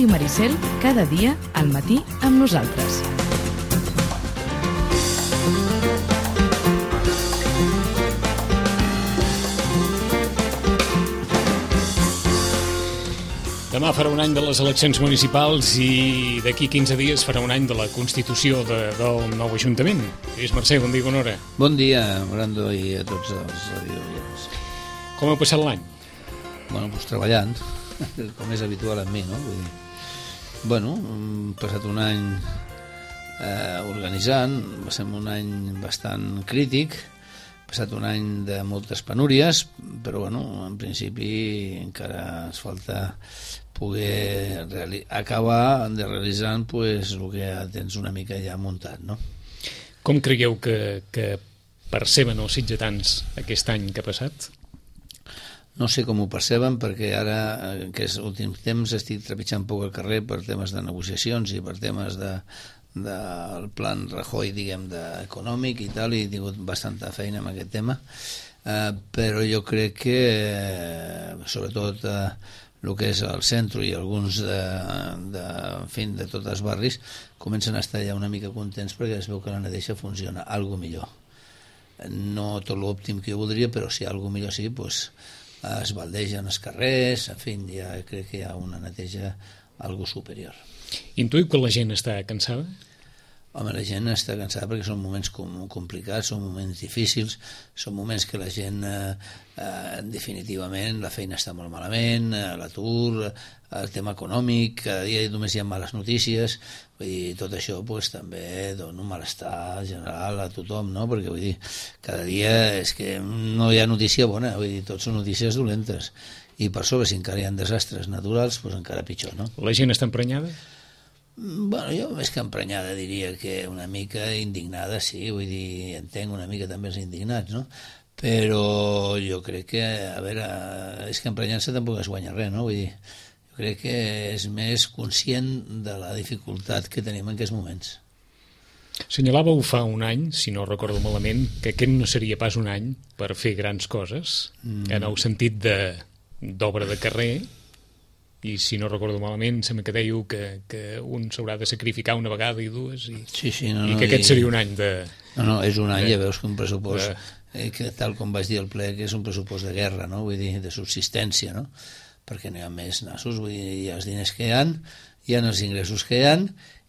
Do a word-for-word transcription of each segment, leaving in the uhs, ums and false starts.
Ràdio Maricel, cada dia al matí amb nosaltres. Demà farà un any de les eleccions municipals i d'aquí quinze dies farà un any de la constitució de, del nou Ajuntament. Lluís Mercè, bon dia, bona hora. Bon dia, Brando, i a tots els radioients. Com ha passat l'any? Bueno, doncs treballant, com és habitual en mi, no? Vull dir, bueno, hem passat un any eh, organitzant, va ser un any bastant crític, ha passat un any de moltes penúries, però bueno, en principi encara ens falta poder acabar de realitzar pues, el que ja tens una mica ja muntat, no? Com creieu que, que perceben els sitgetans aquest any que ha passat? No sé com ho perceben, perquè ara, en aquests últims temps, estic trepitjant poc al carrer per temes de negociacions i per temes de del plan Rajoy, diguem, de econòmic i tal, i he tingut bastanta feina amb aquest tema, eh, però jo crec que eh, sobretot eh, el que és el centre i alguns de, de, en fi, de tots els barris comencen a estar ja una mica contents perquè es veu que la neteja funciona algo millor, no tot l'òptim que jo voldria, però si algo millor sí, pues, es baldegen els carrers, en fi, ja crec que hi ha una neteja algo superior. Intuïu que la gent està cansada? Home, la gent està cansada perquè són moments com, complicats, són moments difícils, són moments que la gent, eh, eh, definitivament, la feina està molt malament, eh, l'atur, el tema econòmic, cada dia només hi ha males notícies, vull dir, tot això pues, també dona un malestar general a tothom, no? Perquè vull dir, cada dia és que no hi ha notícia bona, vull dir, tot són notícies dolentes, i per sobre, si encara hi ha desastres naturals, pues encara pitjor, no? La gent està emprenyada? Bueno, jo més que emprenyada diria que una mica indignada, sí, vull dir, entenc una mica també els indignats, no? Però jo crec que, a veure, és que emprenyant-se tampoc es guanya res, no? Vull dir, jo crec que és més conscient de la dificultat que tenim en aquests moments. Senyalàveu fa un any, si no recordo malament, que aquest no seria pas un any per fer grans coses, mm. en el sentit de d'obra de carrer, i si no recordo malament sembla que dèieu que, que un s'haurà de sacrificar una vegada i dues i, sí, sí, no, i no, que aquest i... seria un any de... No, no, és un any, de... ja veus que un pressupost, de... eh, que tal com vaig dir al ple, que és un pressupost de guerra, no? Vull dir, de subsistència, no? Perquè no hi ha més nassos, vull dir, hi ha els diners que hi ha, hi ha els ingressos que hi ha,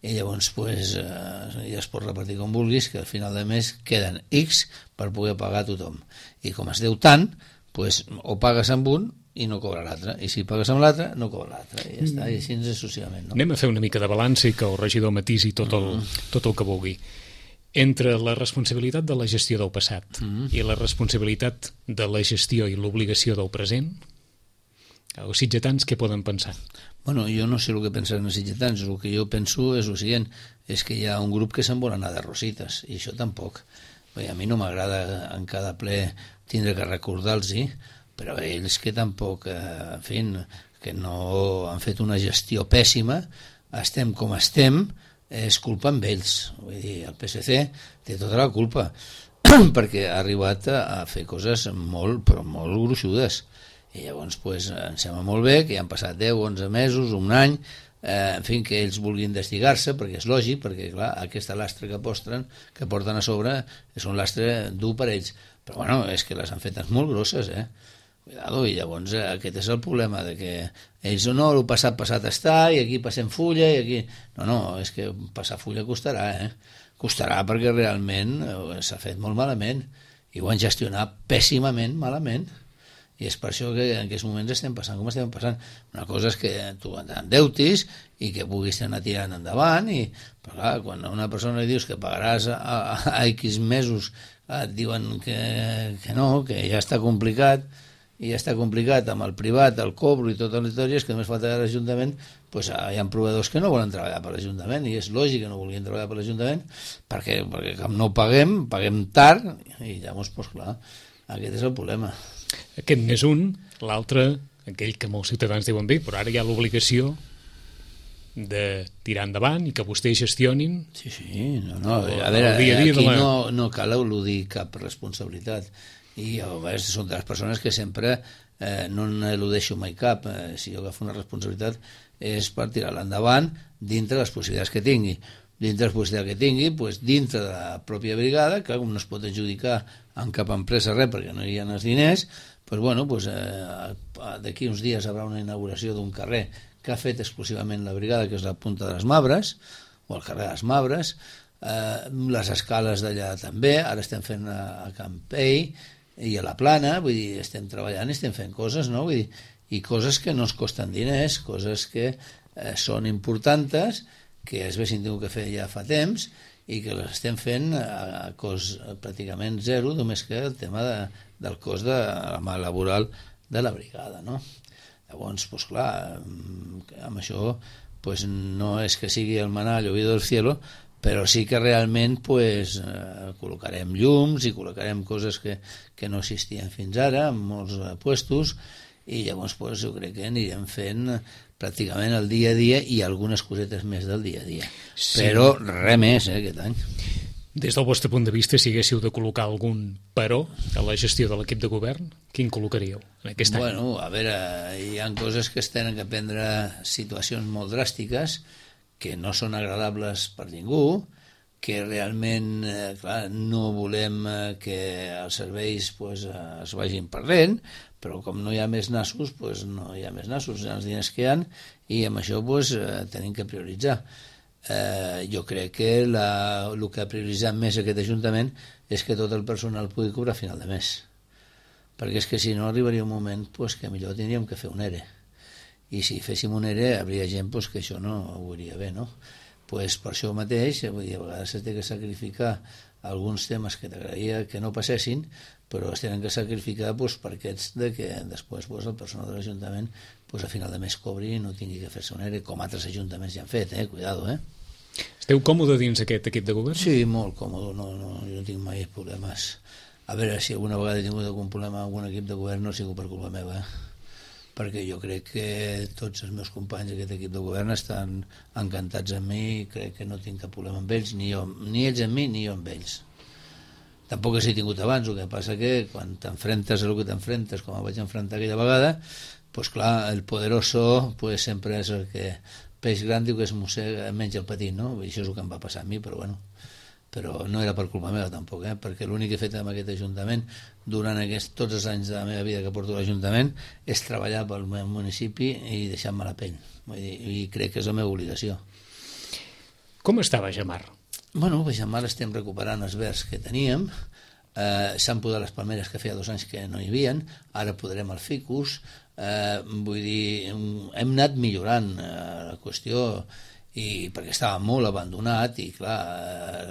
i llavors pues, eh, ja es pot repartir com vulguis, que al final de mes queden X per poder pagar a tothom. I com es deu tant, pues, o pagues amb un i no cobra l'altre, i si pagues amb l'altre no cobra l'altre, i ja està, i així ens associament, no? Anem a fer una mica de balanç i que el regidor matisi tot el, mm. tot el que vulgui. Entre la responsabilitat de la gestió del passat mm. i la responsabilitat de la gestió i l'obligació del present, els sitgetans què poden pensar? Bueno, jo no sé el que pensen els sitgetans, el que jo penso és el següent, és que hi ha un grup que se'n vol anar de rosites, i això tampoc. Bé, a mi no m'agrada en cada ple tindre que recordar-los-hi, però ells que tampoc, eh, en fi, que no han fet una gestió pèssima, estem com estem, és culpa amb ells. Vull dir, el P S C té tota la culpa, perquè ha arribat a, a fer coses molt, però molt gruixudes. I llavors, pues, em sembla molt bé que ja han passat deu, onze mesos, un any, eh, en fi, que ells vulguin investigar-se, perquè és lògic, perquè, clar, aquesta lastre que porten, que porten a sobre és un lastre dur per ells. Però, bueno, és que les han fetes molt grosses, eh? Cuidado, i llavors eh, aquest és el problema, de que ells no, el passat passat està, i aquí passem fulla, i aquí... No, no, és que passar fulla costarà, eh? Costarà perquè realment eh, s'ha fet molt malament, i ho han gestionat pèssimament malament, i és per això que en aquests moments estem passant com estem passant. Una cosa és que tu endeutis i que puguis anar tirant endavant, i, però clar, quan a una persona li dius que pagaràs a, a, a X mesos, et diuen que, que no, que ja està complicat, i ja està complicat amb el privat, el cobro i totes les històries, que només falta que l'Ajuntament, pues, hi ha proveïdors que no volen treballar per l'Ajuntament, i és lògic que no vulguin treballar per l'Ajuntament, perquè, perquè com no paguem, paguem tard, i llavors, pues, clar, aquest és el problema. Aquest n'és un, l'altre, aquell que molts ciutadans diuen bé, però ara hi ha l'obligació de tirar endavant i que vostès gestionin. Sí, sí, no, no, a veure, dia a dia aquí la... no, no cal eludir cap responsabilitat. I a vegades són de les persones que sempre eh, no n'eludeixo mai cap. Eh, si jo agafo una responsabilitat és per tirar-la endavant dintre les possibilitats que tingui. Dintre les possibilitats que tingui, doncs, dintre de la pròpia brigada, que no es pot adjudicar en cap empresa res perquè no hi ha els diners, doncs, bueno, doncs, eh, d'aquí uns dies hi haurà una inauguració d'un carrer que ha fet exclusivament la brigada, que és la Punta de les Mabres, o el carrer de les Mabres, eh, les escales d'allà també, ara estem fent a, a Campell i a la Plana, vull dir, estem treballant i estem fent coses, no? Vull dir, i coses que no es costen diners, coses que eh, són importants, que es haguessin tingut que fer ja fa temps i que les estem fent a, a cost pràcticament zero, només que el tema de, del cost de la mà laboral de la brigada, no? Llavors, doncs clar, amb això pues, no és que sigui el maná llovido del cielo, però sí que realment pues, eh, col·locarem llums i col·locarem coses que, que no existien fins ara en molts eh, puestos, i llavors pues, jo crec que anirem fent pràcticament el dia a dia i algunes cosetes més del dia a dia. Sí. Però res més eh, aquest any. Des del vostre punt de vista, si haguéssiu de col·locar algun però a la gestió de l'equip de govern, quin col·locaríeu en aquest any? Bueno, a veure, hi ha coses que es tenen que prendre situacions molt dràstiques que no són agradables per ningú, que realment, eh, clar, no volem eh, que els serveis pues, eh, es vagin perdent, però com no hi ha més nassos, pues, no hi ha més nassos, hi ha els diners que hi ha, i amb això pues, eh, tenim que prioritzar. Eh, jo crec que la, el que ha prioritzat més aquest Ajuntament és que tot el personal pugui cobrar a final de mes, perquè és que si no arribaria un moment pues, que millor tindríem que fer un ERE, i si féssim un ERE hi hauria gent pues, que això no ho veuria bé, no? Pues per això mateix, vull dir, a vegades s'ha de sacrificar alguns temes que t'agradaria que no passessin, però es tenen que sacrificar pues, per aquests de que després pues, el personal de l'Ajuntament pues, a final de mes cobri i no tingui que fer-se un ERE, com altres ajuntaments ja han fet, eh? Cuidado, eh? Esteu còmode dins aquest equip de govern? Sí, molt còmode, no, no, jo no tinc mai problemes. A veure, si alguna vegada he tingut algun problema amb algun equip de govern no ha sigut per culpa meva, eh? Perquè jo crec que tots els meus companys d'aquest equip de govern estan encantats amb mi i crec que no tinc cap problema amb ells, ni, jo, ni ells amb mi ni jo amb ells. Tampoc s'hi he tingut abans, el que passa que quan t'enfrentes a el que t'enfrentes, com em vaig enfrontar aquella vegada, pues clar, el poderoso pues sempre és el que peix gran diu que es mossega menys el petit, no? I això és el que em va passar a mi, però bueno, però no era per culpa meva tampoc, eh? Perquè l'únic que he fet amb aquest Ajuntament durant aquests, tots els anys de la meva vida que porto a l'Ajuntament és treballar pel meu municipi i deixar-me la pell. Vull dir, i crec que és la meva obligació. Com està Baixamar? Bueno, Baixamar estem recuperant els verds que teníem, eh, s'han podat les palmeres que feia dos anys que no hi havia, ara podrem el ficus, eh, vull dir, hem anat millorant eh, la qüestió, i perquè estava molt abandonat i clar,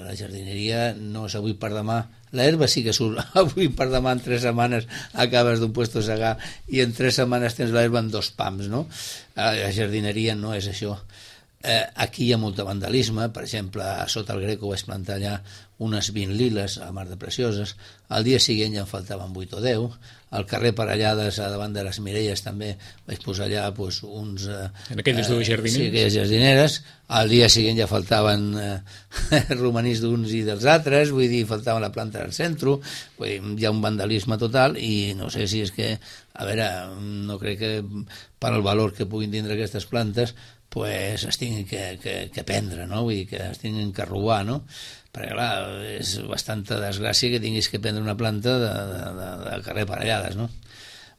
la jardineria no és avui per demà, l'herba sí que surt avui per demà, en tres setmanes acabes d'un puesto a segar i en tres setmanes tens l'herba en dos pams, no? La jardineria no és això. Eh, aquí hi ha molt de vandalisme, per exemple, a sota el Greco vaig plantar allà unes vint liles a Mar de Precioses, al dia següent ja en faltaven vuit o deu, al carrer Parellades, a davant de les Mireilles també vaig posar allà pues, uns... Eh, en aquelles dues jardineres? Sí, aquelles jardineres, al dia següent ja faltaven eh, romanís d'uns i dels altres, vull dir, faltava la planta del centre, vull dir, hi ha un vandalisme total i no sé si és que, a veure, no crec que per al valor que puguin tindre aquestes plantes pues es tinguin que, que, que prendre, no? Vull dir, que es tinguin que robar, no? Perquè, clar, és bastanta desgràcia que tinguis que prendre una planta de, de, de, de carrer Parellades, no?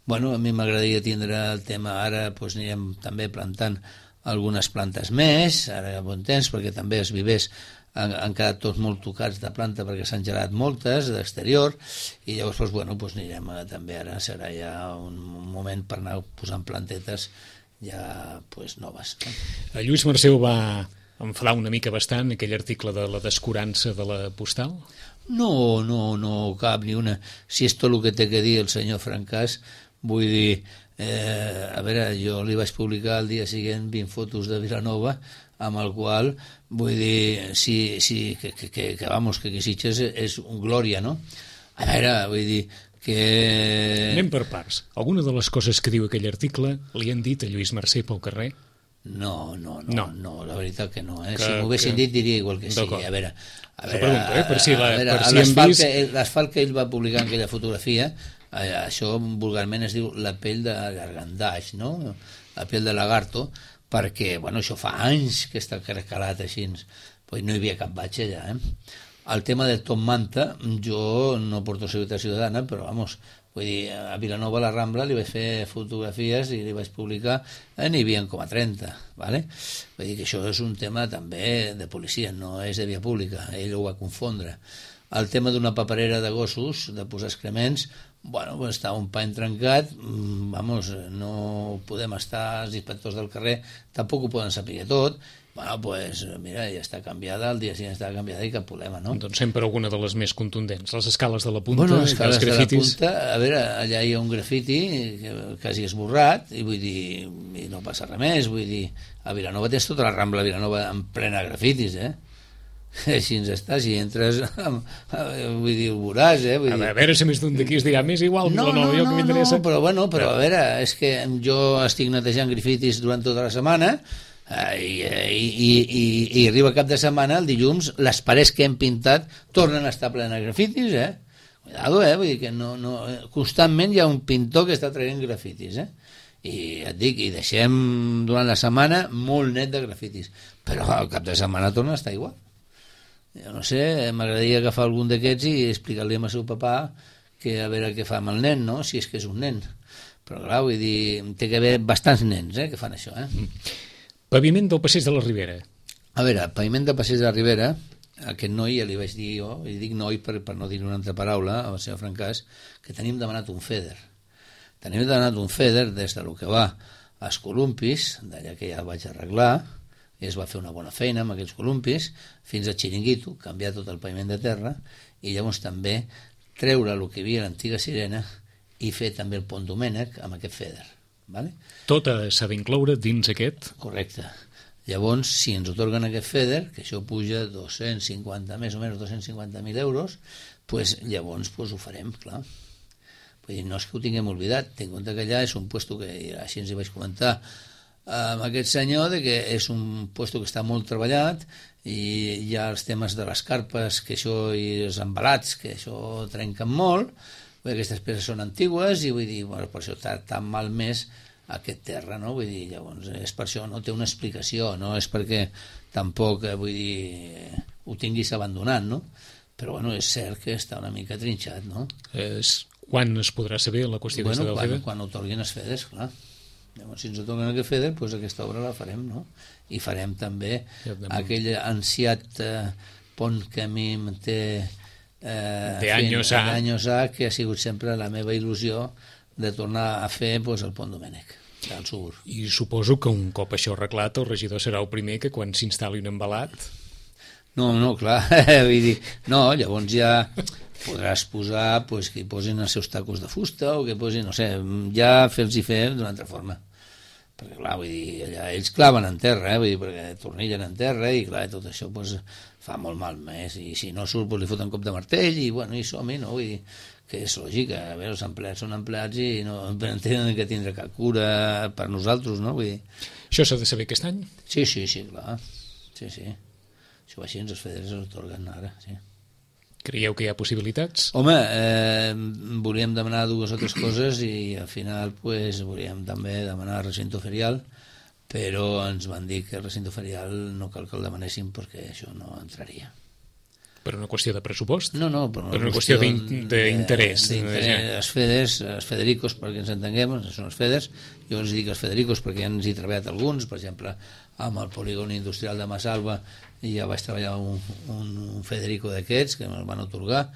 Bueno, a mi m'agradaria tindre el tema, ara pues, anirem també plantant algunes plantes més, ara a bon temps, perquè també els vivers han, han quedat tots molt tocats de planta perquè s'han gelat moltes d'exterior, i llavors pues, bueno, pues, anirem a, també ara serà ja un, un moment per anar posant plantetes ja pues, noves. El Lluís Marceu va enfadar una mica bastant aquell article de la descurança de la postal? No, no, no cap ni una. Si és tot el que té que dir el senyor Francàs, vull dir, eh, a veure, jo li vaig publicar el dia següent vint fotos de Vilanova, amb el qual, vull dir, si, si, que, que, que, que vamos, que aquí Sitges és, és un glòria, no? A veure, vull dir, que... Anem per parts. Alguna de les coses que diu aquell article li han dit a Lluís Marcè pel carrer? No, no, no, no, no la veritat que no. Eh? Que, si m'ho haguessin que... dit diria igual que sí. A veure, a veure, pregunto, eh? Per si, la, veure, per si hem vist... l'asfalt que ell va publicar en aquella fotografia, eh, això vulgarment es diu la pell de gargandaix, no? La pell de lagarto, perquè, bueno, això fa anys que està calat així, pues no hi havia cap baix allà, eh? El tema de Tom Manta, jo no porto Seguretat Ciutadana, però, vamos, vull dir, a Vilanova, a la Rambla, li vaig fer fotografies i li vaig publicar, eh, n'hi havia com a trenta, ¿vale? Vull dir que això és un tema també de policia, no és de via pública, ell ho va confondre. El tema d'una paperera de gossos, de posar excrements, bueno, pues està un pany trencat, vamos, no podem estar, els inspectors del carrer tampoc ho poden saber tot, bueno, pues mira, ja està canviada, el dia següent està canviada i cap problema, no? Doncs sempre alguna de les més contundents, les escales de la punta, bueno, les escales els grafitis... de la punta, a veure, allà hi ha un grafiti que quasi esborrat, i vull dir, i no passa res més, vull dir, a Vilanova tens tota la Rambla de Vilanova en plena grafitis, eh? Així ens està, si entres, vull dir, ho veuràs, eh? Vull dir... A veure si més d'un d'aquí es dirà més igual, no, no, no, no, jo no, que m'interessa... no, però bueno, però a veure, és que jo estic netejant grafitis durant tota la setmana, eh, i, i, i, i arriba cap de setmana, el dilluns, les parets que hem pintat tornen a estar plenes de grafitis, eh? Cuidado, eh? Vull dir que no, no, constantment hi ha un pintor que està traient grafitis, eh? I et dic, i deixem durant la setmana molt net de grafitis, però al cap de setmana torna a estar igual. Jo no sé, m'agradaria agafar algun d'aquests i explicar-li al seu papà que a veure què fa amb el nen, no? Si és que és un nen. Però clar, vull dir, té que haver bastants nens, eh, que fan això, eh? Paviment del passeig de la Ribera. A veure, paviment del passeig de la Ribera, a aquest noi ja li vaig dir jo, i dic noi per, per no dir una altra paraula, al senyor Francàs, que tenim demanat un feder. Tenim demanat un feder des de lo que va als columpis, d'allà que ja vaig arreglar, i es va fer una bona feina amb aquells columpis, fins a Xiringuito, canviar tot el paviment de terra, i llavors també treure el que hi havia a l'antiga Sirena i fer també el Pont Domènec amb aquest feder. ¿Vale? Tot s'ha d'incloure dins aquest? Correcte. Llavors, si ens otorguen aquest feder, que això puja dos-cents cinquanta, més o menys dos-cents cinquanta mil euros, pues, llavors pues, ho farem, clar. Vull dir, no és que ho tinguem oblidat, ten en compte que allà és un puesto que, així ens hi vaig comentar, amb aquest senyor, de que és un puesto que està molt treballat i hi ha els temes de les carpes, que això, i els embalats, que això trenquen molt, vull dir, aquestes peces són antigues i vull dir, bueno, per això està tan malmès aquest terra, no? Vull dir, llavors, és per això, no té una explicació, no és perquè tampoc, vull dir, ho tinguis abandonat, no? Però, bueno, és cert que està una mica trinxat, no? És... Quan es podrà saber la qüestió bueno, del quan, FEDER? Quan otorguin els FEDERs, clar. Llavors, si ens otorguen aquest FEDER, doncs aquesta obra la farem, no? I farem també ja, aquell ansiat eh, pont que a mi em té eh, de anys a anys a que ha sigut sempre la meva il·lusió de tornar a fer pues, el Pont Domènec del Sugur. I suposo que un cop això arreglat el regidor serà el primer que quan s'instal·li un embalat... No, no, clar, vull dir, no, llavors ja podràs posar pues, que hi posin els seus tacos de fusta o que posin, no sé, ja fer-los-hi fer d'una altra forma. Perquè, clar, vull dir, allà ells claven en terra, eh, vull dir, perquè tornillen en terra i, clar, tot això pues, fa molt mal més. I si no surt, pues, li foten cop de martell i, bueno, i som-hi, no? Vull dir, que és lògic, a veure, els empleats són empleats i no tenen que tindre cap cura per nosaltres, no? Vull dir... Això s'ha de saber aquest any? Sí, sí, sí, clar. Sí, sí. Això va així, els feders els otorguen ara, sí. Creieu que hi ha possibilitats? Home, eh, volíem demanar dues o tres coses i al final pues, volíem també demanar recinto ferial, però ens van dir que el recinto ferial no cal que el demanéssim perquè això no entraria. Per una qüestió de pressupost? No, no, per una, per una qüestió, qüestió d'interès. Els feders, els federicos, perquè ens entenguem, són els feders, jo els dic els federicos perquè ja ens hi he treballat alguns, per exemple, amb el polígon industrial de Massalva i ja vaig treballar un, un, un Federico d'aquests que me'l van atorgar.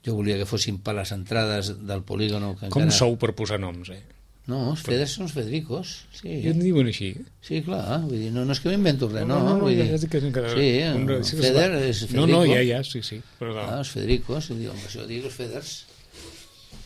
Jo volia que fossin per les entrades del polígono que com encara... sou per posar noms, eh? No, els feders són els Federicos, sí. I en diuen així? Sí, clar, vull dir, no, no és que m'invento res, no, no, no, no vull dir... ja que encara... Sí, un... el Feder és Federico. No, no, ja, ja, sí, sí. Però no. Ah, els Federicos, i diu, això dic els Feders...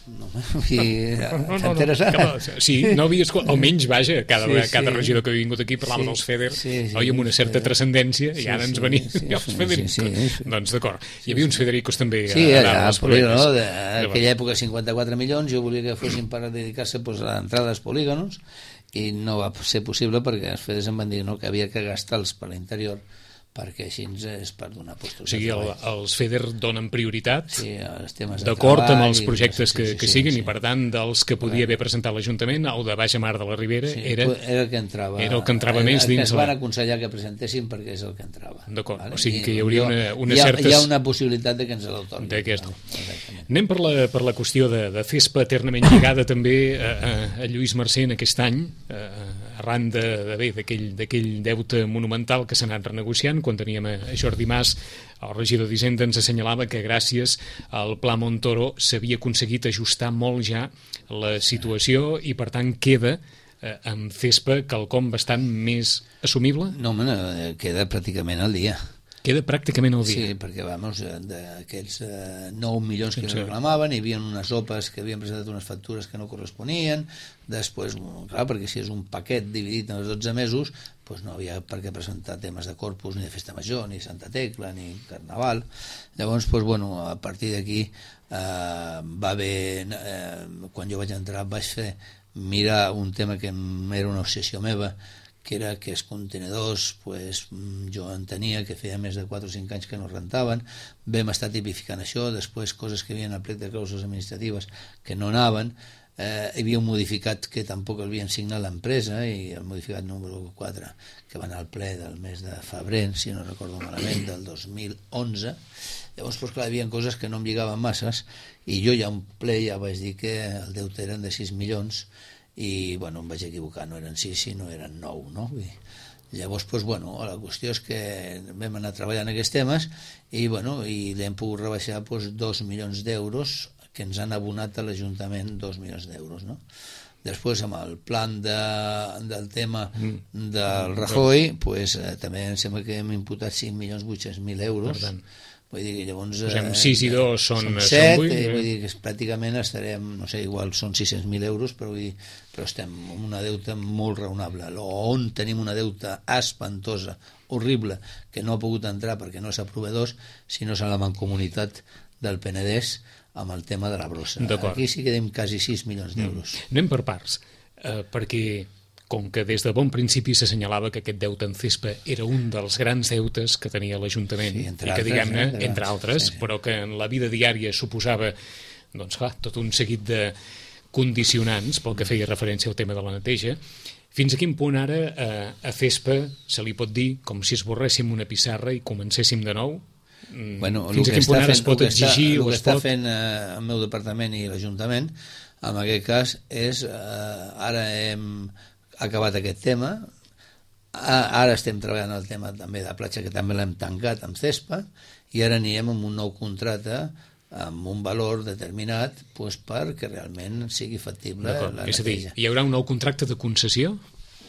No, i... no, no, t'ha interessat? No, no, sí, no havia escoltat, almenys, vaja, cada, sí, cada sí. regidor que havia vingut aquí parlava sí, dels FEDER, sí, sí, oi, amb una certa transcendència, sí, i ara ens venia sí, sí, els Federicos. Sí, sí, sí. Doncs d'acord, hi havia uns Federicos també sí, a, allà, a les polígonos. No? D'aquella època, cinquanta-quatre milions, jo volia que fossin per dedicar-se pues, a l'entrada dels polígonos, i no va ser possible perquè els FEDERs em van dir no, que havia que gastar-los per l'interior perquè així és per donar postos o sigui, de el, treball. els FEDER donen prioritat Sí, els temes de d'acord amb treball els i projectes sí, que, sí, que sí, siguin sí. i per tant dels que podia haver presentat l'Ajuntament, el de Baixa Mar de la Ribera Sí, era... era el que entrava, era el que entrava el, més el dins que ens la- van aconsellar que presentéssim perquè és el que entrava. D'acord, vale? o sigui que I hi hauria jo- una, una hi ha, certes... hi ha una possibilitat de que ens l'atorguin. D'aquest. No? Exactament. Anem per la, per la qüestió de, de FESPA eternament lligada també a, a, a Lluís Mercè en aquest any, a, arran de, de bé, d'aquell d'aquell deute monumental que s'ha anat renegociant. Quan teníem a Jordi Mas, el regidor d'Hisenda ens assenyalava que gràcies al Pla Montoro s'havia aconseguit ajustar molt ja la situació i per tant queda eh, amb FESPA quelcom bastant més assumible. No, home, no, queda pràcticament al dia. Queda pràcticament al dia. Sí, perquè vamos, d'aquests eh, nou milions que Sí, sí, sí. reclamaven, hi havia unes opes que havien presentat unes factures que no corresponien, després, clar, perquè si és un paquet dividit en els dotze mesos, doncs no havia per què presentar temes de Corpus, ni de Festa Major, ni Santa Tecla, ni Carnaval. Llavors, doncs, bueno, a partir d'aquí eh, va haver, eh, quan jo vaig entrar, vaig fer mirar un tema que era una obsessió meva, que era que els contenedors, pues, jo entenia que feia més de quatre o cinc anys que no rentaven, vam estar tipificant això, després coses que havien al plec de clàusules administratives que no anaven, eh, hi havia un modificat que tampoc havien signat l'empresa, i el modificat número quatre, que va anar al ple del mes de febrer, si no recordo malament, del dos mil onze. Llavors, pues, clar, hi havia coses que no em lligaven masses, i jo ja un ple ja vaig dir que el deute eren de sis milions, i bueno, em vaig equivocar, no eren sis sinó eren nou, no? Vull dir, llavors, pues, bueno, la qüestió és que vam anar treballant aquests temes i, bueno, i l'hem pogut rebaixar pues, dos milions d'euros que ens han abonat a l'Ajuntament dos milions d'euros, no? Després, amb el plan de, del tema del Rajoy, pues, eh, també em sembla que hem imputat cinc milions vuit-cents mil euros. Per tant, Vull dir que llavors... posem sis i dos són, són són set, vuit, eh, eh? vull dir que pràcticament estarem, no sé, igual són sis-cents mil euros, però, vull dir, però estem amb una deuta molt raonable. On tenim una deuta espantosa, horrible, que no ha pogut entrar perquè no és a proveedors, sinó és a la mancomunitat del Penedès amb el tema de la brossa. Aquí sí que tenim quasi sis milions d'euros. Mm. Anem per parts, eh, perquè com que des de bon principi s'assenyalava que aquest deute en FESPA era un dels grans deutes que tenia l'Ajuntament, Sí, i entre que, altres, diguem-ne, eh, de entre grans, altres, sí, sí. però que en la vida diària suposava, doncs clar, tot un seguit de condicionants pel que feia referència al tema de la neteja. Fins a quin punt ara eh, a FESPA se li pot dir com si esborréssim una pissarra i comencéssim de nou? Mm, Bueno, fins a quin punt ara es pot exigir el o que es està pot... fent eh, el meu departament i l'Ajuntament en aquest cas és eh, ara hem acabat aquest tema, ara estem treballant el tema també de platja, que també l'hem tancat amb CESPA, i ara anirem amb un nou contracte amb un valor determinat pues, perquè realment sigui factible la És a dir, neteja. hi haurà un nou contracte de concessió?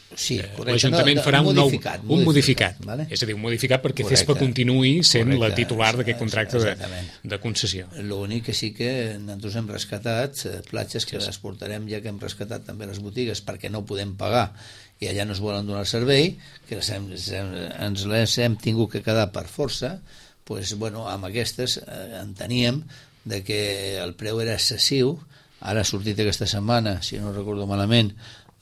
Sí, correcte. L'Ajuntament no, farà un, nou, modificat, un modificat, vale? és a dir, un modificat perquè Correcte. FESPA continuï sent Correcte, la titular d'aquest contracte de, exactament. de concessió. L'únic que sí que nosaltres hem rescatat eh, platges que les portarem, ja que hem rescatat també les botigues perquè no podem pagar i allà no es volen donar el servei, que les hem, ens les hem tingut que quedar per força, pues, bueno, amb aquestes eh, enteníem de que el preu era excessiu. Ara ha sortit aquesta setmana, si no recordo malament,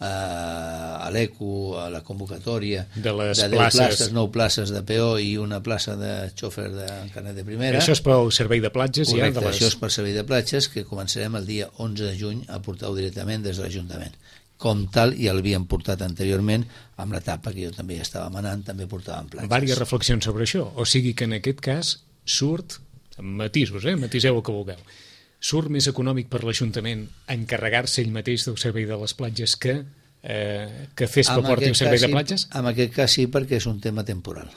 a l'ECO, a la convocatòria de les de deu places. places, nou places de P O i una plaça de xòfer de carnet de primera. Això és pel servei de platges? Correcte, ja, de les... això és per servei de platges, que començarem el dia onze de juny a portar-ho directament des de l'Ajuntament. Com tal, ja l'havíem portat anteriorment amb l'etapa que jo també ja estava manant, també portàvem platges. Vàries reflexions sobre això, o sigui que en aquest cas surt, matisos, eh? matiseu el que vulgueu, surt més econòmic per l'Ajuntament encarregar-se ell mateix del servei de les platges que, eh, que FESPA porti un servei de platges? En aquest cas sí, perquè és un tema temporal.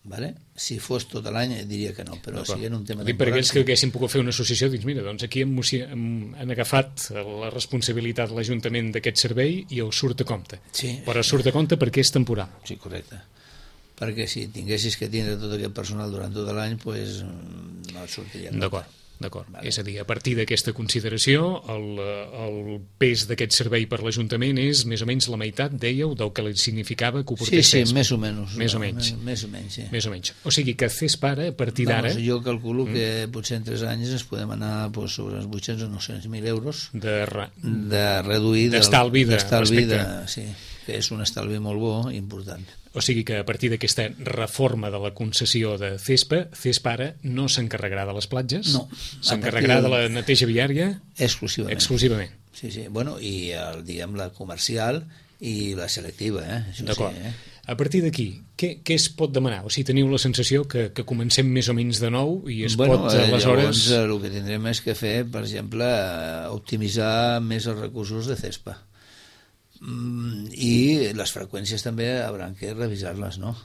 Vale? Si fos tot l'any diria que no, però si és un tema Dic, temporal... per aquells que haguessin pogut fer una associació, dius, mira, doncs aquí hem, hem, han agafat la responsabilitat de l'Ajuntament d'aquest servei i el surt a compte. Sí. Però surt a compte perquè és temporal. Sí, correcte. Perquè si tinguessis que tindre tot aquest personal durant tot l'any, pues, no et sortiria. D'acord. D'acord. Vale. És a dir, a partir d'aquesta consideració, el, el pes d'aquest servei per l'Ajuntament és més o menys la meitat, dèieu, del que li significava que ho portés Sí, sí, FESPA. més o menys. Més o no, menys. Més, més o menys, sí. Més o menys. O sigui que FESPA ara, a partir d'ara... Vamos, jo calculo mm. que potser en tres anys es podem anar pues, sobre els vuit-cents o nou-cents mil euros de, re... de reduir... D'estalvi de, d'estalvi de, respecte... sí, que és un estalvi molt bo i important. O sigui que a partir d'aquesta reforma de la concessió de CESPA, CESPA ara no s'encarregarà de les platges? No. S'encarregarà de... de la neteja viària? Exclusivament. Exclusivament. Sí, sí. Bueno, i el, diguem, la comercial i la selectiva, eh? D'acord. Sí, eh? A partir d'aquí, què, què es pot demanar? O sigui, teniu la sensació que, que comencem més o menys de nou i es bueno, pot, aleshores... Llavors, el que tindrem és que fer, per exemple, optimitzar més els recursos de CESPA. Mm, I les freqüències també hauran que revisar-les, no?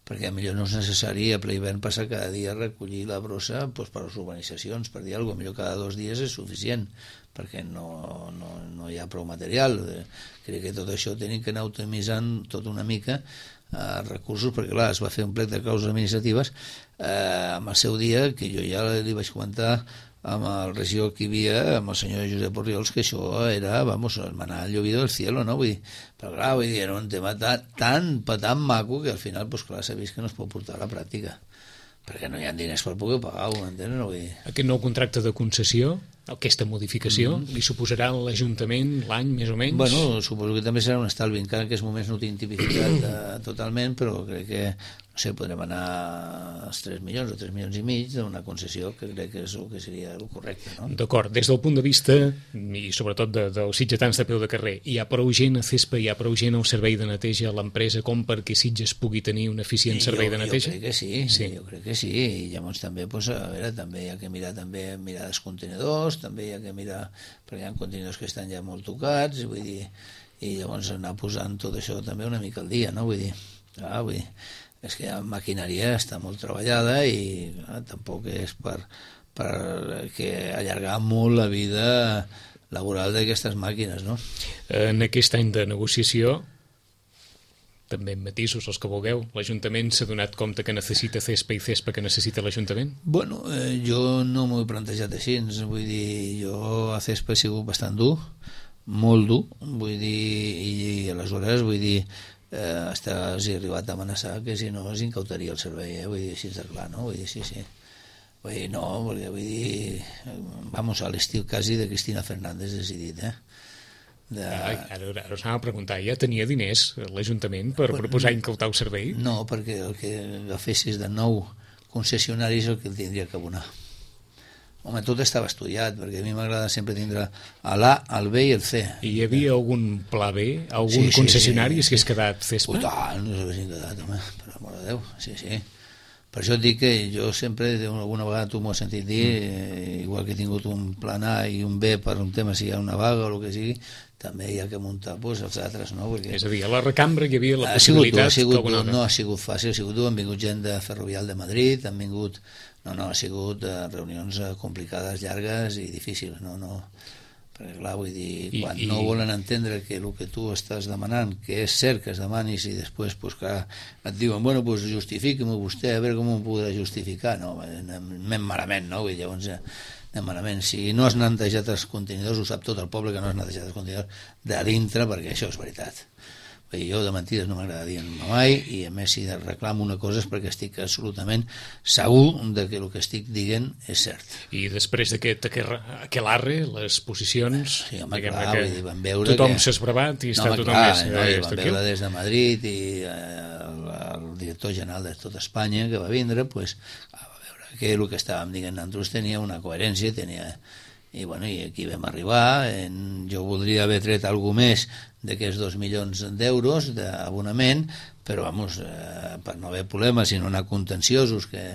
Perquè millor no és necessari a ple hivern passar cada dia a recollir la brossa doncs, per les urbanitzacions, per dir alguna cosa. Millor cada dos dies és suficient, perquè no, no, no hi ha prou material. Crec que tot això tenim que anar optimitzant tot una mica eh, recursos, perquè clar, es va fer un plec de causes administratives eh, amb el seu dia, que jo ja li vaig comentar amb el regidor que hi havia, amb el senyor Josep Orriols, que això era, vamos, el manar llovido del cielo, no? Vull dir, però clar, vull dir, era un tema tan, tan, tan maco que al final, pues, clar, s'ha vist que no es pot portar a la pràctica, perquè no hi ha diners per poder pagar-ho, m'entens? No? Vull dir... Aquest nou contracte de concessió, aquesta modificació, mm. li suposarà a l'Ajuntament l'any, més o menys? Bueno, suposo que també serà un estalvi, encara que en aquests moments no tinc tipificat eh, totalment, però crec que, no sé, podrem anar als tres milions o tres milions i mig d'una concessió, que crec que és el que seria el correcte, no? D'acord, des del punt de vista, i sobretot de, dels sitgetans de peu de carrer, hi ha prou gent a CESPA, hi ha prou gent al servei de neteja a l'empresa com perquè Sitges pugui tenir un eficient I servei jo, de neteja? Jo crec que sí, sí, jo crec que sí, i llavors també, pues, a veure, també hi ha que mirar també mirar els contenidors, també hi ha que mirar, perquè hi ha contenidors que estan ja molt tocats, vull dir, i llavors anar posant tot això també una mica al dia, no? Vull dir, clar, vull dir, és que la maquinària està molt treballada i clar, tampoc és per, per que allargar molt la vida laboral d'aquestes màquines, no? En aquest any de negociació, també en matisos, els que vulgueu, l'Ajuntament s'ha donat compte que necessita CESPA i CESPA que necessita l'Ajuntament? Bueno, eh, jo no m'ho he plantejat així, vull dir, jo a CESPA he sigut bastant dur, molt dur, vull dir, i, i aleshores, vull dir, eh, hasta els he arribat a amenaçar que si no es incautaria el servei, eh? Vull dir, així de clar, no? Vull dir, sí, sí. Vull dir, no, perquè vull dir, vamos, a l'estil quasi de Cristina Fernández decidit, eh? De... Ai, ara, ara us anava a preguntar, ja tenia diners l'Ajuntament per bueno, proposar incautar el servei? No, perquè el que agafessis de nou concessionaris és el que el tindria que abonar. Home, tot estava estudiat, perquè a mi m'agrada sempre tindre l'A, el B i el C. I hi havia algun pla B? Algun sí, sí, concessionari sí, sí. que hagués quedat CESPA? Ui, tant, no s'haguessin quedat, home, per amor de Déu, sí, sí. Per això et dic que jo sempre, alguna vegada tu m'ho has sentit dir, eh, igual que he tingut un plan A i un B per un tema, si hi ha una vaga o el que sigui, també hi ha que muntar pues, els altres, no? Perquè... És a dir, a la recambra hi havia la ha possibilitat... Sigut, ha sigut, que no ha sigut fàcil, ha sigut dur, han vingut gent de Ferrovial de Madrid, han vingut... No, no, ha sigut uh, reunions uh, complicades, llargues i difícils, no, no... Perquè, clar, vull dir, quan I, i... no volen entendre que el que tu estàs demanant, que és cert que es demanis i després, pues, clar, et diuen, bueno, pues justifiqui-m'ho vostè, a veure com ho podrà justificar, no, anem malament, no? Vull dir, llavors, anem malament. Si no has netejat els contenidors, ho sap tot el poble que no has netejat els contenidors de dintre, perquè això és veritat. Vull dir, jo de mentides no m'agrada dir mai, i a més si reclamo una cosa és perquè estic absolutament segur de que el que estic dient és cert. I després d'aquest aquelarre, les posicions... Sí, home, clar, vull dir, van veure tothom que... s'ha esbravat i no, està home, tothom clar, més... No, i van veure des de Madrid i eh, el, el director general de tot Espanya que va vindre, pues, va veure que el que estàvem dient nosaltres tenia una coherència, tenia... I, bueno, i aquí vam arribar, en, jo voldria haver tret alguna més d'aquests dos milions d'euros d'abonament, però vamos, eh, per no haver problemes, sinó anar contenciosos, que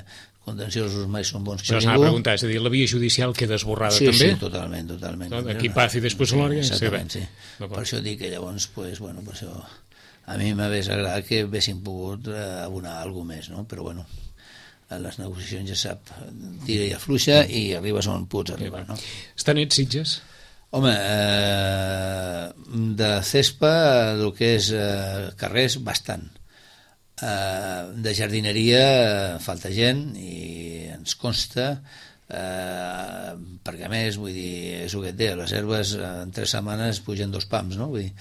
contenciosos mai són bons per ningú. Això s'anava a preguntar, és a dir, la via judicial queda esborrada sí, també? Sí, totalment, totalment. No, aquí paz i després glòria? Exactament, sí. No, per això dic que llavors, pues, bueno, per això a mi m'hagués agradat que haguessin pogut eh, abonar alguna més, no? Però bueno, a les negociacions ja sap, tira i afluixa i arribes on pots arribar, no? Està net Sitges? Home, eh, de CESPA, el que és eh, carrers, bastant. Eh, de jardineria falta gent i ens consta, eh, perquè a més, vull dir, és el que et deia, les herbes en tres setmanes pugen dos pams, no? Vull dir,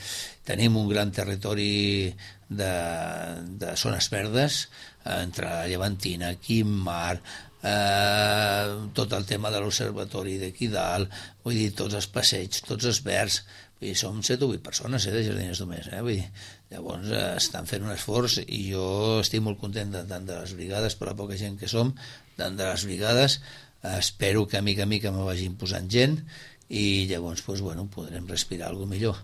tenim un gran territori de, de zones verdes, entre Llevantina, Quimar, eh, tot el tema de l'observatori d'aquí dalt, vull dir, tots els passeigs, tots els verds, Vull dir, som set o vuit persones, eh, de jardiners domés, eh? Vull dir, llavors eh, estan fent un esforç i jo estic molt content de, tant de les brigades, per la poca gent que som, tant de les brigades, eh, espero que a mica a mica me vagin posant gent i llavors pues, bueno, podrem respirar alguna millor.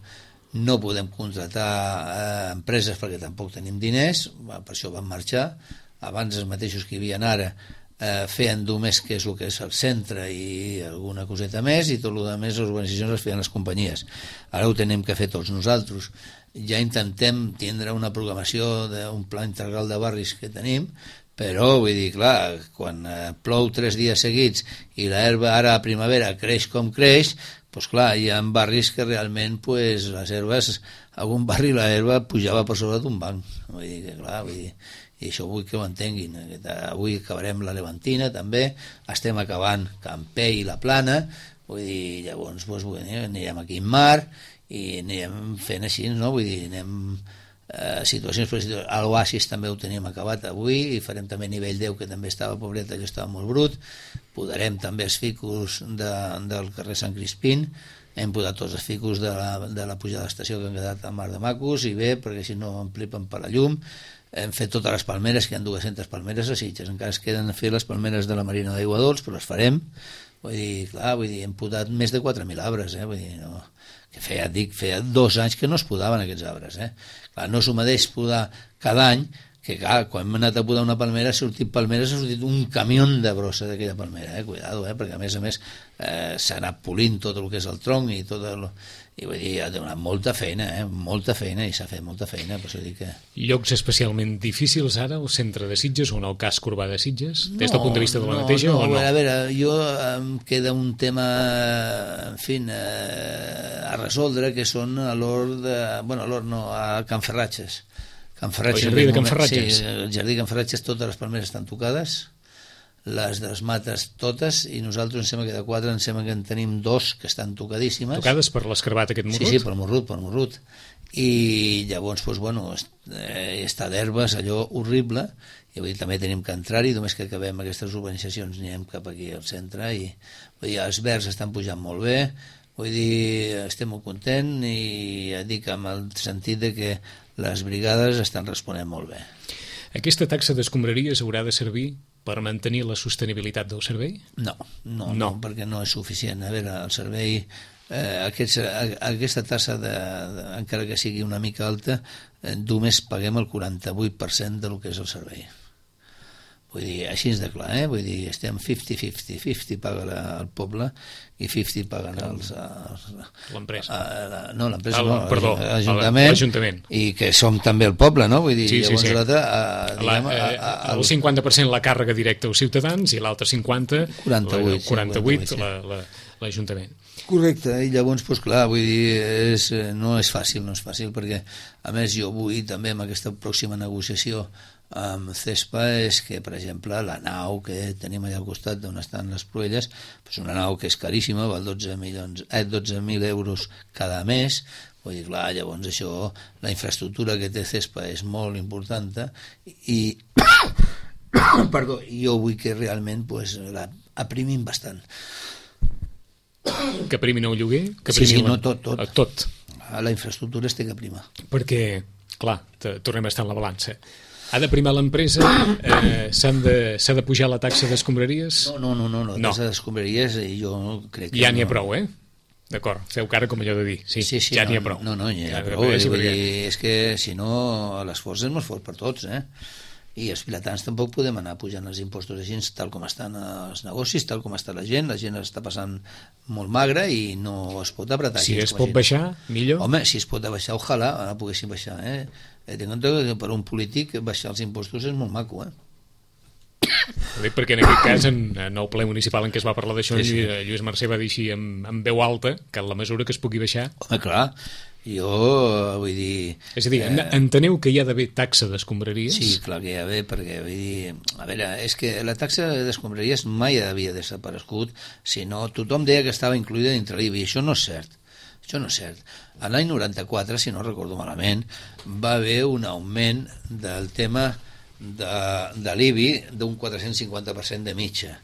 No podem contratar eh, empreses perquè tampoc tenim diners, per això vam marxar. Abans els mateixos que hi havia ara eh, feien només que és el que és el centre i alguna coseta més, i tot el que més les organitzacions les feien les companyies. Ara ho tenim que fer tots nosaltres. Ja intentem tindre una programació d'un pla integral de barris que tenim, però vull dir, clar, quan eh, plou tres dies seguits i l'herba ara a primavera creix com creix, pues clar, hi ha barris que realment pues, les herbes, algun barri la herba pujava per sobre d'un banc. Vull dir que clar, vull dir, i això vull que ho entenguin. Avui acabarem la Levantina també, estem acabant Campé i la Plana, vull dir, llavors pues, vull dir, anirem aquí en mar i anirem fent així, no? Vull dir, anem eh, situacions, a l'Oasis també ho teníem acabat avui i farem també nivell deu, que també estava pobret, allò estava molt brut. Podarem també els ficus de, del carrer Sant Crispín, hem podat tots els ficus de la, de la pujada de l'estació que han quedat a Mar de Macos, i bé, perquè si no emplipen per la llum. Hem fet totes les palmeres, que hi ha dues-centes palmeres a Sitges, encara es queden a fer les palmeres de la Marina d'Aigua Dols, però les farem. Vull dir, clar, vull dir, hem podat més de quatre mil arbres, eh? Vull dir, no, que feia, dic, feia dos anys que no es podaven aquests arbres, eh? Clar, no s'ho mateix podar cada any, que clar, quan hem anat a podar una palmera ha sortit palmeres, ha sortit un camió de brossa d'aquella palmera, eh? Cuidado, eh? Perquè a més a més eh, s'ha anat polint tot el que és el tronc i tot el... i vull dir, ha donat molta feina, eh? Molta feina, i s'ha fet molta feina, per això dic que... Llocs especialment difícils ara, el centre de Sitges o en el casc urbà de Sitges, no, des del punt de vista de la no, neteja, no, o no? A veure, jo em queda un tema, en fi, eh, a resoldre, que són a l'hort de... bueno, a l'hort no, a Can Ferratges. Can Ferratges, el jardí de Can Ferratges? Sí, el jardí de Can Ferratges, totes les palmeres estan tocades, les de les mates totes, i nosaltres em sembla que de quatre em sembla que en tenim dos que estan tocadíssimes. Tocades per l'escarbat aquest morrut? Sí, sí, pel morrut, pel morrut. I llavors, doncs, bueno, eh, està d'herbes, allò horrible, i vull dir, també tenim que entrar-hi, només que acabem aquestes urbanitzacions anirem cap aquí al centre, i vull dir, els verds estan pujant molt bé, vull dir, estem molt contents, i ja dic, amb el sentit de que les brigades estan responent molt bé. Aquesta taxa d'escombraries haurà de servir per mantenir la sostenibilitat del servei? No, no, no, no perquè no és suficient. A veure, el servei, eh, aquests, aquesta tassa, de, de, encara que sigui una mica alta, eh, només paguem el quaranta-vuit per cent del que és el servei. Vull dir, així és de clar, eh? Vull dir, estem cinquanta cinquanta, cinquanta paga la, el poble i cinquanta paguen els... els l'empresa. No, l'empresa ah, no, perdó, l'Ajuntament, i que som també el poble, no? Vull dir, sí, llavors sí, sí. l'altre... A, diguem, a, a, a, el cinquanta per cent la càrrega directa als ciutadans i l'altre cinquanta quaranta-vuit, quaranta-vuit sí, l'Ajuntament. Correcte, i llavors, doncs clar, vull dir, és, no és fàcil, no és fàcil, perquè a més jo vull també amb aquesta pròxima negociació amb CESPA és que, per exemple, la nau que tenim allà al costat d'on estan les Pruelles, doncs una nau que és caríssima, val dotze milions, eh, dotze mil euros cada mes. Vull dir, clar, llavors això, la infraestructura que té CESPA és molt important, i perdó, jo vull que realment pues, la aprimim bastant. Que primin el lloguer? Que sí, sí, la... no, tot, tot. tot. La infraestructura es té que primar. Perquè, clar, tornem a estar en la balança. Ha de primar l'empresa? Eh, s'ha de, de pujar la taxa d'escombraries? No, no, no, no, la taxa no. d'escombraries jo crec que... Ja n'hi ha no. prou, eh? D'acord, feu cara com allò de dir. Sí, sí, sí ja no, n'hi ha prou. No, no, n'hi ha ja, prou. És, vull dir, és que, si no, l'esforç és molt fort per tots, eh? I els vilatans tampoc podem anar pujant els impostos així, tal com estan els negocis, tal com està la gent, la gent està passant molt magra i no es pot apretar. Si es pot baixar, millor. Home, si es pot baixar, ojalà, ara poguéssim baixar, eh? Tinc en compte que per un polític baixar els impostos és molt maco, eh? Ho dic perquè en aquest cas, en, en el ple municipal en què es va parlar d'això, sí, sí. Lluís Mercè va dir així amb, amb veu alta que en la mesura que es pugui baixar... Home, clar, jo vull dir... És a dir, eh... enteneu que hi ha d'haver taxa d'escombraries? Sí, clar que hi ha d'haver, perquè vull dir... A veure, és que la taxa d'escombraries mai havia desaparegut, sinó tothom deia que estava incluïda dintre l'I V A, i això no és cert. Això no és cert. A l'any noranta-quatre, si no recordo malament, va haver un augment del tema de, de l'I V A d'un quatre-cents cinquanta per cent de mitja.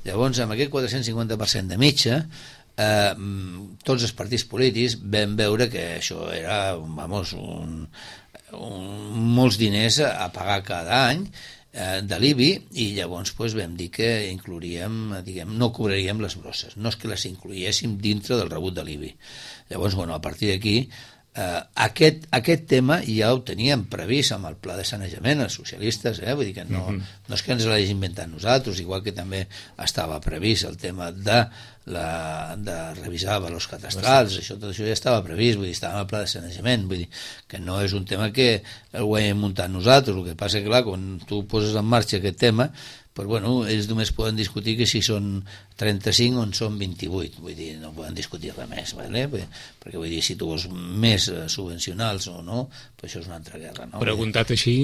Llavors, amb aquest quatre-cents cinquanta per cent de mitja, eh, tots els partits polítics vam veure que això era, vamos, un, un, molts diners a pagar cada any eh, de l'I B I, i llavors pues, vam dir que inclouríem, diguem, no cobraríem les brosses, no és que les incluíssim dintre del rebut de l'I B I. Llavors, bueno, a partir d'aquí, Uh, aquest, aquest tema ja ho teníem previst amb el pla de sanejament, els socialistes, eh? Vull dir que no, uh-huh. no és que ens l'hagi inventat nosaltres, igual que també estava previst el tema de, la, de revisar valors catastrals, això, tot això ja estava previst, vull dir, estava en el pla de sanejament, vull dir que no és un tema que ho hem muntat nosaltres, el que passa que clar, quan tu poses en marxa aquest tema, però bueno, ells només poden discutir que si són trenta-cinc o en són vint-i-vuit, vull dir, no poden discutir res més, ¿vale? Perquè vull dir, si tu vols més subvencionals o no, pues això és una altra guerra, no? Preguntat així,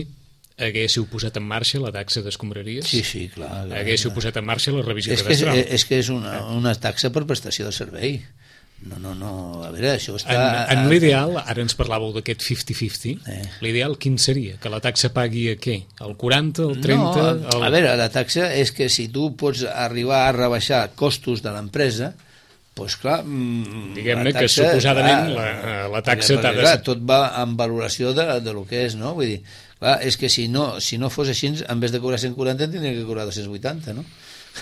haguéssiu posat en marxa la taxa d'escombraries? Sí, sí, clar. clar haguéssiu clar. posat en marxa la revisió és cadastral? Que és, és que és una, una taxa per prestació de servei. No, no, no, a veure, això està... En, en l'ideal, ara ens parlàveu d'aquest cinquanta cinquanta, eh. l'ideal quin seria? Que la taxa pagui a què? El quaranta, el trenta? No, el... a veure, la taxa és que si tu pots arribar a rebaixar costos de l'empresa, doncs clar... Diguem-ne que suposadament clar, la, la taxa t'ha de... Clar, tot va en valoració de, de lo que és, no? Vull dir, clar, és que si no, si no fos així, en vez de cobrar cent quaranta, tindria que cobrar dos-cents vuitanta, no?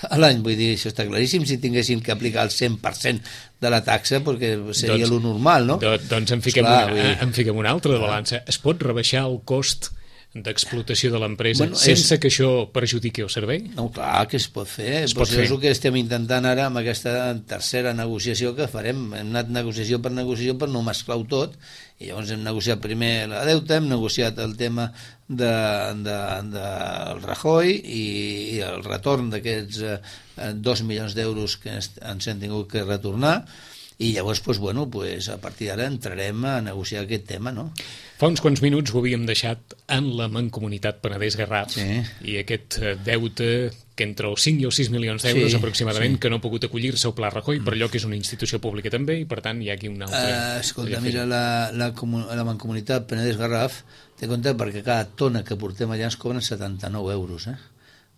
A l'any, vull dir, això està claríssim, si tinguéssim que aplicar el cent per cent de la taxa, perquè seria doncs, lo normal, no? Do, doncs en fiquem, Esclar, una, dir... en fiquem una altra de balança. Es pot rebaixar el cost d'explotació de l'empresa bueno, sense és... que això perjudiqui el servei? No, clar que es pot fer. Es pot pues fer. És el que estem intentant ara amb aquesta tercera negociació que farem. Hem anat negociació per negociació per no mesclar-ho tot, i llavors hem negociat primer la deuta, hem negociat el tema de, de, de el Rajoy i, i el retorn d'aquests eh, dos milions d'euros que ens hem tingut que retornar, i llavors, pues, bueno, pues, a partir d'ara entrarem a negociar aquest tema, no? Fa uns quants minuts ho havíem deixat en la Mancomunitat Penedès-Garraf, sí. I aquest deute que entre els cinc i els sis milions d'euros sí, aproximadament sí. que no ha pogut acollir-se al Pla Rajoy, mm. per allò que és una institució pública també, i per tant hi ha aquí una altra... Uh, escolta, mira, la, la, la Mancomunitat Penedès-Garraf té compte perquè cada tona que portem allà ens cobren setanta-nou euros, eh?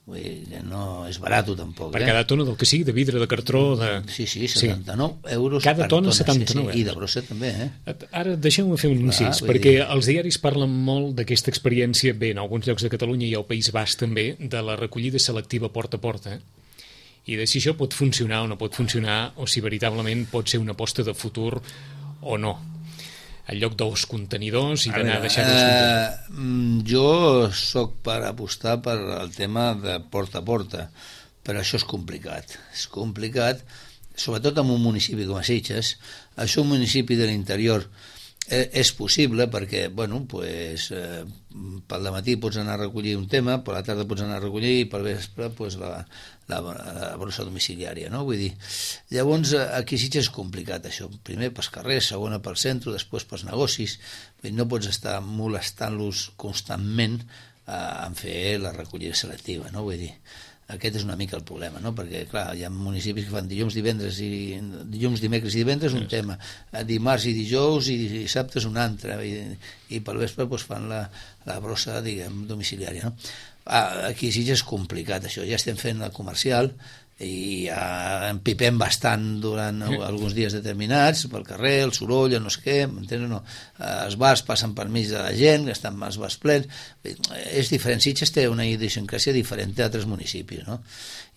Vull dir que no és barat tampoc. Per eh? cada tona del que sigui, de vidre, de cartró... De... Sí, sí, setanta-nou sí. euros cada per tona. tona, setanta-nou sí, sí. I de brossa també, eh? Ara deixeu-me fer un incís, perquè dir... els diaris parlen molt d'aquesta experiència, bé, en alguns llocs de Catalunya i al País Basc també, de la recollida selectiva porta a porta, i de si això pot funcionar o no pot funcionar, o si veritablement pot ser una aposta de futur o no. En lloc dels contenidors i d'anar a deixar els contenidors. Eh, jo sóc per apostar per el tema de porta a porta, però això és complicat. És complicat, sobretot en un municipi com a Sitges. Això un municipi de l'interior eh, és possible perquè, bueno, pues, eh, pel dematí pots anar a recollir un tema, per la tarda pots anar a recollir i pel vespre pues, la, la, la brossa domiciliària, no? Vull dir, llavors aquí sí que és complicat això, primer pels carrers, segona pel centre, després pels negocis, vull dir, no pots estar molestant-los constantment eh, en fer la recollida selectiva, no? Vull dir, aquest és una mica el problema, no? Perquè clar, hi ha municipis que fan dilluns, divendres i dilluns, dimecres i divendres un tema, dimarts i dijous i dissabtes un altre, i, i pel vespre pues, fan la, la brossa, diguem, domiciliària, no? Ah, aquí sí que és complicat això, ja estem fent el comercial i ja empipem bastant durant alguns dies determinats pel carrer, el soroll, el no sé què, m'entens o no? Els bars passen per mig de la gent, estan els bars plens, és diferent. Sitges té una idiosincràsia diferent d'altres municipis, no?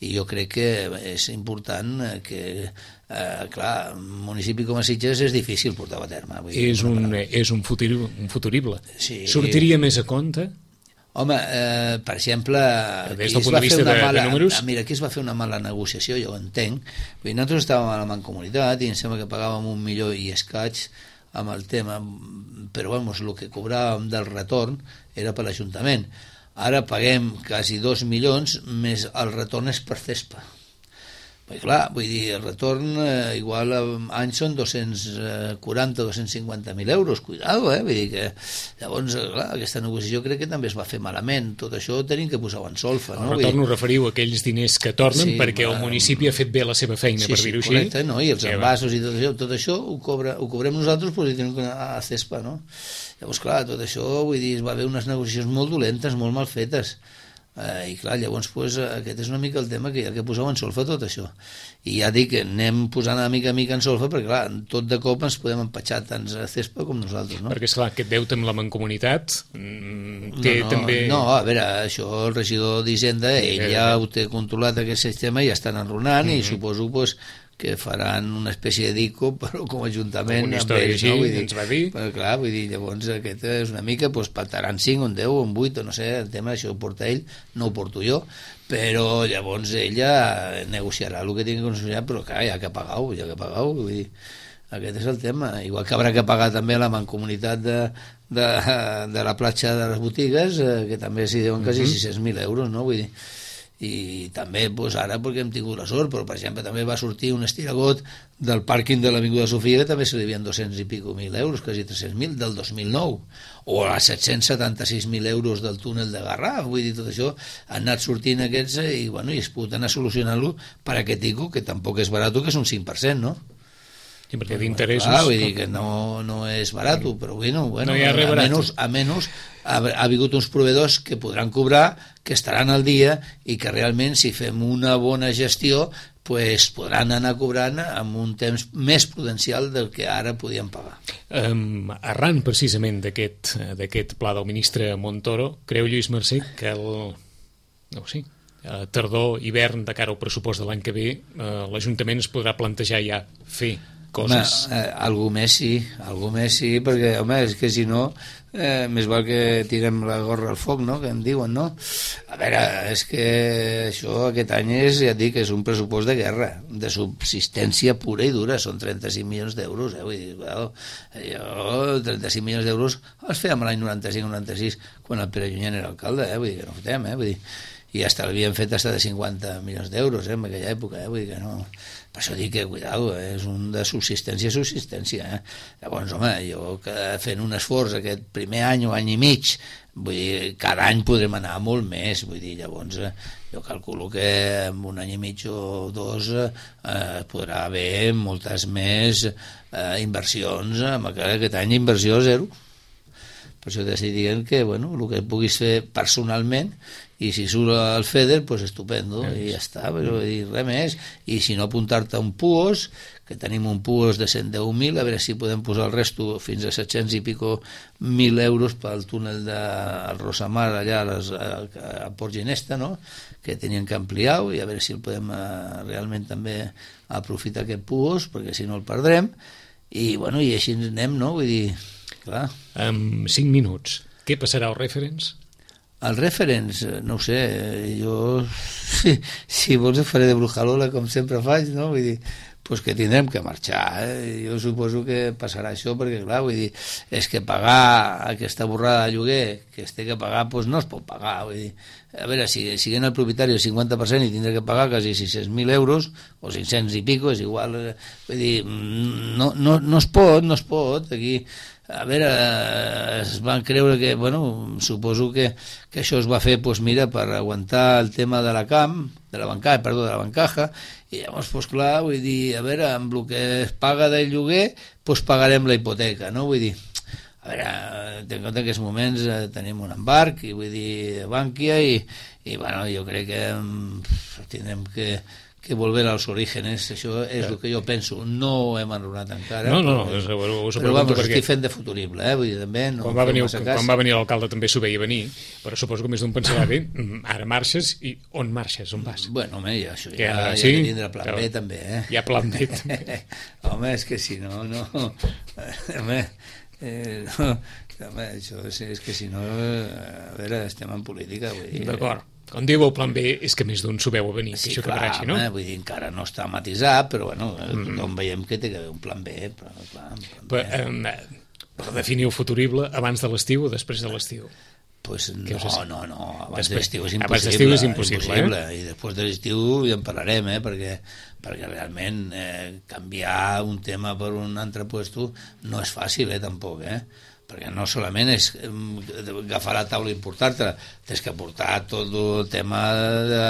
I jo crec que és important que, eh, clar, un municipi com a Sitges és difícil portar a terme. Vull dir, és, un, és un, futur, un futurible. Sí. Sortiria més a compte? Home, eh, per exemple, des del punt de vista de, mala, de números... Mira, aquí es va fer una mala negociació, jo ho entenc. Vull dir, nosaltres estàvem a la Mancomunitat i em sembla que pagàvem un milió i escaig amb el tema, però vamos, el que cobràvem del retorn era per l'Ajuntament. Ara paguem quasi dos milions, més el retorn és per CESPA. Perquè clar, vull dir, el retorn eh, igual a anys són dos-cents quaranta a dos-cents cinquanta mil euros, cuidado, eh? Vull dir que llavors, clar, aquesta negociació crec que també es va fer malament, tot això tenim que posar-ho en solfa, no? El retorn ho referiu a aquells diners que tornen sí, perquè va... el municipi ha fet bé la seva feina, sí, per dir-ho sí, així. Correcte, no? I els envasos i tot això, tot això ho, cobra, ho cobrem nosaltres, però hi tenim que anar a CESPA, no? Llavors, clar, tot això, vull dir, es va haver unes negociacions molt dolentes, molt mal fetes. Eh, I clar, llavors pues, aquest és una mica el tema que hi ha que posar en solfa tot això. I ja dic que anem posant a mica a mica en solfa perquè clar, tot de cop ens podem empatxar tant a Cespa com nosaltres, no? Perquè esclar, aquest deute amb la Mancomunitat mm, té no, no, també... No, a veure, això el regidor d'Hisenda, ell eh, ja ho té controlat aquest sistema i ja estan enrunant mm -hmm. i suposo pues, que faran una espècie de dico però com a ajuntament una història ells, així, no? Vull dir, ens va dir però clar, vull dir, llavors aquest és una mica pues, pactaran cinc, un deu, un vuit o no sé, el tema això ho porta ell, no ho porto jo, però llavors ella negociarà el que tingui que negociar, però clar, ja que pagar-ho, ja que pagar-ho, vull dir, aquest és el tema, igual que haurà que pagar també la mancomunitat de, de, de la platja de les botigues, eh, que també s'hi deuen quasi uh -huh. sis-cents mil euros, no? Vull dir, i també pues, ara perquè hem tingut la sort, però per exemple també va sortir un estiragot del pàrquing de l'Avinguda Sofia que també se li havien dos-cents i pico mil euros, quasi tres-cents mil del dos mil nou, o a set-cents setanta-sis mil euros del túnel de Garraf, vull dir, tot això han anat sortint aquests i, bueno, i es pot anar solucionant-lo per aquest tico, que tampoc és barat, que és un cinc per cent, no? Sí, perquè d'interessos... Ah, vull dir que no, no és barat, però bueno, bueno no hi ha res barat. Almenys, almenys ha, ha hagut uns proveïdors que podran cobrar, que estaran al dia i que realment si fem una bona gestió pues, podran anar cobrant amb un temps més prudencial del que ara podien pagar. Um, arran precisament d'aquest d'aquest pla del ministre Montoro, creu Lluís Mercè que el... no ho sé, tardor, hivern, de cara al pressupost de l'any que ve, eh, l'Ajuntament es podrà plantejar ja fer coses... Home, eh, algú més sí, algú més sí, perquè, home, és que si no, eh, més val que tirem la gorra al foc, no?, que en diuen, no? A veure, és que això aquest any és, ja et dic, és un pressupost de guerra, de subsistència pura i dura, són trenta-cinc milions d'euros, eh? Vull dir, well, jo trenta-cinc milions d'euros els fèiem l'any noranta-cinc noranta-sis, quan el Pere Llunyent era alcalde, eh? Vull dir que no ho fem, eh? Vull dir, i hasta l'havien fet hasta de cinquanta milions d'euros, eh, en aquella època, eh? Vull dir que no... Per això dic que, cuidado, eh? És un de subsistència a subsistència, eh? Llavors, home, jo que fent un esforç aquest primer any o any i mig, vull dir, cada any podrem anar molt més, vull dir, llavors eh, jo calculo que en un any i mig o dos eh, podrà haver moltes més eh, inversions, amb aquest any inversió zero. Per això t'estic dient que, bueno, el que puguis fer personalment, i si surt el FEDER, pues estupendo, i ja està, però dir res més, i si no apuntar-te a un PUOS, que tenim un PUOS de cent deu mil, a veure si podem posar el resto fins a set-cents i pico mil euros pel túnel del Rosamar allà a, les, a, a Port Ginesta, no?, que tenien que ampliar, i a veure si el podem eh, realment també aprofitar aquest PUOS, perquè si no el perdrem, i bueno, i així anem, no?, vull dir, clar. En cinc minuts, què passarà als referents? Els referents, no ho sé, jo si, si vols faré de brujalola com sempre faig, no? Vull dir, pues que tindrem que marxar, eh? Jo suposo que passarà això perquè, clar, vull dir, és que pagar aquesta borrada de lloguer que es té que pagar, pues no es pot pagar, vull dir, a veure, si siguent el propietari el cinquanta per cent i tindrà que pagar quasi sis-cents mil euros o cinc-cents i pico, és igual, vull dir, no, no, no es pot, no es pot, aquí... A veure, es van creure que, bueno, suposo que, que això es va fer, pues mira, per aguantar el tema de la camp, de la bancaja, perdó, de la bancaja, i llavors, pues clar, vull dir, a veure, amb el que es paga del lloguer, pues pagarem la hipoteca, no? Vull dir, a veure, ten en compte que en aquests moments eh, tenim un embarc, i vull dir, Bànquia, i, i bueno, jo crec que mm, tindrem que... que volver als orígenes, això és el que jo penso, no ho hem enronat encara, no, no, però, és, ho, ho però vamos, perquè... estic fent de futurible, eh? Vull dir, també no quan, va venir, quan va venir l'alcalde també s'ho veia venir, però suposo que més d'un pensarà bé, ara marxes i on marxes, on vas? Bueno, home, ja, això ja, ja, ja sí? ha de tindre plan B també, eh? Hi ha plan B també. Home, és que si no, no... home, eh, no, home, això és, és que si no, a veure, estem en política, vull dir... D'acord. Quan diu el plan B és que més d'un s'ho veu a venir, sí, que això clar, quedarà així, no? Home, vull dir, encara no està matisat, però bueno, mm. tothom veiem que té que haver un plan B, però clar... Plan però, eh, per definir el futurible, abans de l'estiu o després de l'estiu? Pues no, no, no, abans després, de l'estiu és impossible. Abans d'estiu és impossible, impossible eh? I després de l'estiu ja en parlarem, eh? Perquè, perquè realment eh, canviar un tema per un altre puesto no és fàcil, eh, tampoc, eh? Perquè no solament és agafar la taula i portar-te, tens que portar tot el tema de,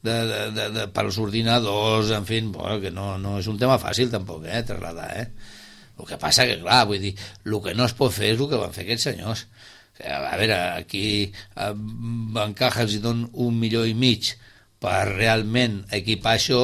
de, de, de, de, per als ordinadors, en fi, bueno, que no, no és un tema fàcil tampoc, eh, trasladar, eh. El que passa que, clar, vull dir, el que no es pot fer és el que van fer aquests senyors. A veure, aquí a Bancaja els donen un milió i mig per realment equipar això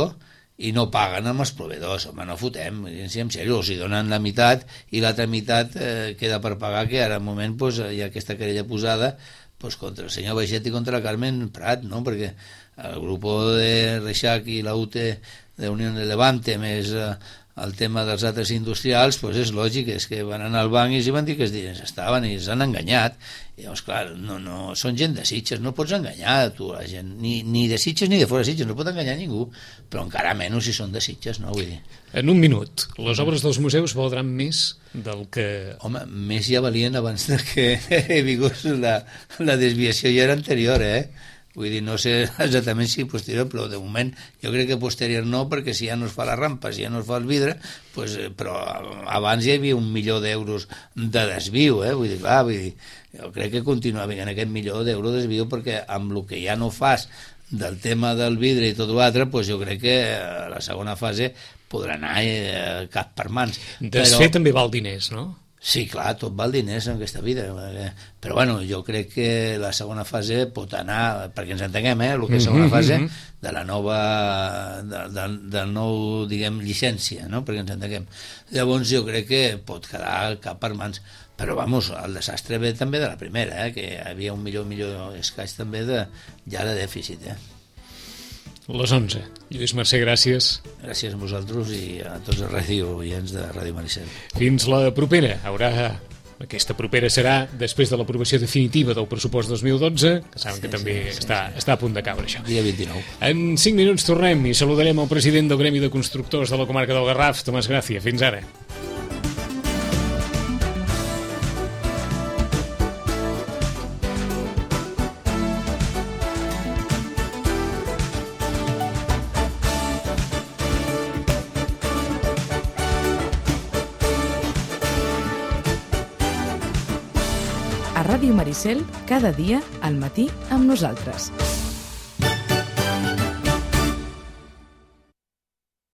i no paguen amb els proveïdors. Home, no fotem, en sèrio, els hi donen la meitat i l'altra meitat eh, queda per pagar, que ara al moment pues, hi ha aquesta querella posada pues, contra el senyor Baixet i contra la Carmen Prat, no? Perquè el grup de Reixac i la U T de Unió de Levante més eh, el tema dels altres industrials, pues és lògic, és que van anar al banc i els van dir que els diners estaven i els han enganyat. I llavors, clar, no, no, són gent de Sitges, no pots enganyar tu la gent, ni, ni de Sitges ni de fora Sitges, no pot enganyar ningú, però encara menys si són de Sitges, no? Vull dir. En un minut, les obres dels museus valdran més del que... Home, més ja valien abans de que he vingut la, la desviació ja era anterior, eh? Vull dir, no sé exactament si posterior, però de moment jo crec que posterior no, perquè si ja no es fa la rampa, si ja no es fa el vidre, pues, però abans hi havia un milió d'euros de desviu, eh? Vull dir, clar, vull dir, jo crec que continua havent aquest milió d'euros de desviu, perquè amb el que ja no fas del tema del vidre i tot l'altre, pues jo crec que la segona fase podrà anar eh, cap per mans. Desfer però... també val diners, no? Sí, clar, tot val diners en aquesta vida, però bueno, jo crec que la segona fase pot anar, perquè ens entenguem, eh, el que és segona fase de la nova, de, de, del nou, diguem, llicència, no?, perquè ens entenguem. Llavors jo crec que pot quedar cap per mans, però vamos, el desastre ve també de la primera, eh, que hi havia un milió, un milió escaig també de, ja de dèficit, eh. Les onze. Lluís Mercè, gràcies. Gràcies a vosaltres i a tots els ràdio oients de Ràdio Maricel. Fins la propera. Haurà... Aquesta propera serà després de l'aprovació definitiva del pressupost dos mil dotze, que saben sí, que també sí, sí, està, sí. està a punt de caure això. Dia vint-i-nou. En cinc minuts tornem i saludarem el president del Gremi de Constructors de la comarca del Garraf, Tomàs Gràcia. Fins ara. A Ràdio Maricel, cada dia, al matí, amb nosaltres.